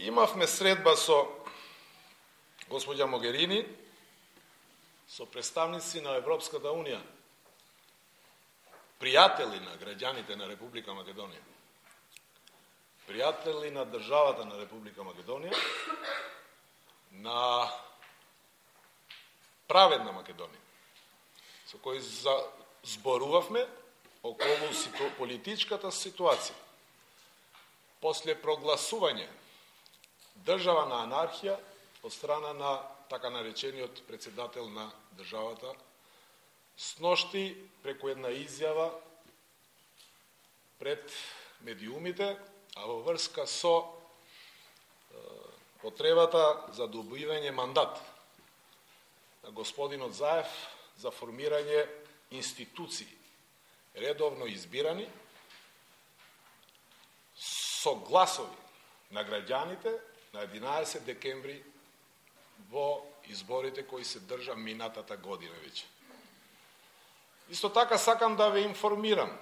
Имавме средба со госпоѓа Могерини, со представници на Европската Унија, пријатели на граѓаните на Република Македонија, пријатели на државата на Република Македонија, на праведна Македонија, со кои зборувавме околу политичката ситуација. После прогласување држава на анархија од страна на така наречениот председател на државата, сношти преку една изјава пред медиумите, а во врска со потребата за добивање мандат на господинот Заев за формирање институции, редовно избирани, со гласови на граѓаните на 11 декември во изборите кои се држа минатата година веќе. Исто така сакам да ве информирам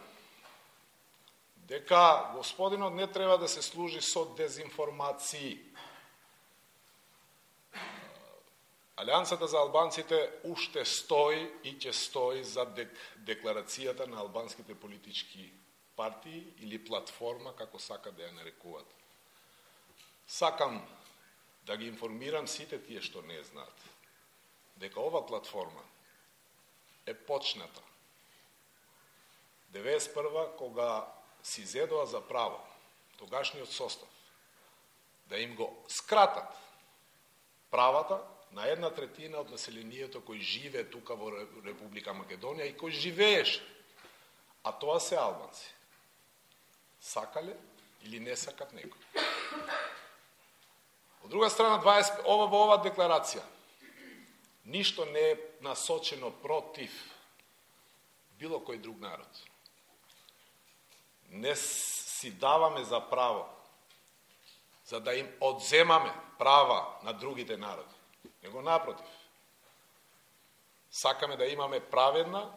дека господинот не треба да се служи со дезинформации. Алијансата за албанците уште стои и ќе стои за декларацијата на албанските политички партии или платформа, како сака да ја нарекуваат. Сакам да ги информирам сите тие што не знаат, дека ова платформа е почната 91 кога си зедоа за право тогашниот состав да им го скратат правата на 1/3 од населението кој живее тука во Република Македонија и кој живееше, а тоа се албанци. Сакале или не сакат некој. Од друга страна, во ова декларација ништо не е насочено против било кој друг народ. Не си даваме за право за да им одземаме права на другите народи. Него напротив. Сакаме да имаме праведна,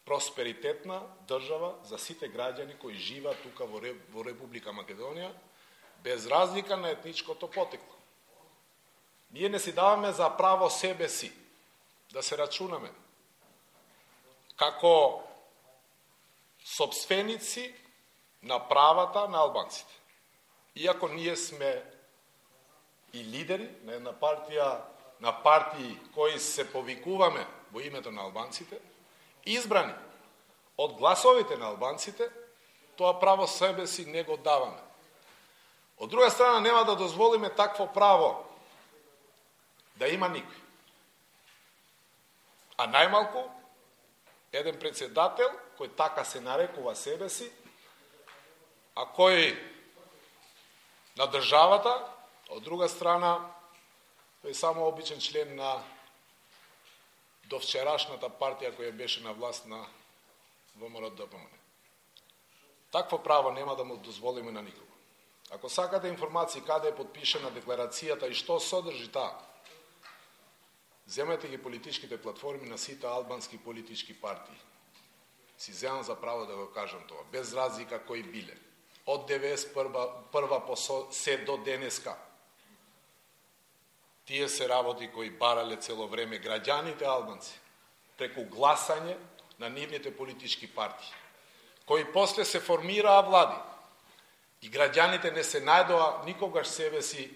просперитетна држава за сите граѓани кои живеат тука во Република Македонија, без разлика на етничкото потекло. Ние не си даваме за право себе си да се рачунаме како сопственици на правата на албанците. Иако ние сме и лидери на една партија, на партии кои се повикуваме во името на албанците, избрани од гласовите на албанците, тоа право себе си не го даваме. Од друга страна, нема да дозволиме такво право да има никој. А најмалку, еден председател, кој така се нарекува себе си, а кој на државата, од друга страна, тој е само обичен член на довчерашната партија која беше на власт на ВМРО-ДПМН. Такво право нема да му дозволиме на никого. Ако сакате информации каде е подпишена декларацијата и што содржи таа, земете ги политичките платформи на сите албански политички партии. Си земам за право да го кажам тоа, без разлика кои биле. Од 91 по се до денеска. Тие се работи кои барале цело време граѓаните албанци преку гласање на нивните политички партии, кои после се формираа влади и граѓаните не се најдоа никогаш себе си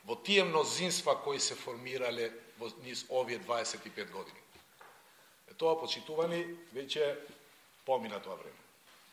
во тие мнозинства кои се формирале во низ овие 25 години. Тоа, почитувани, веќе помина тоа време.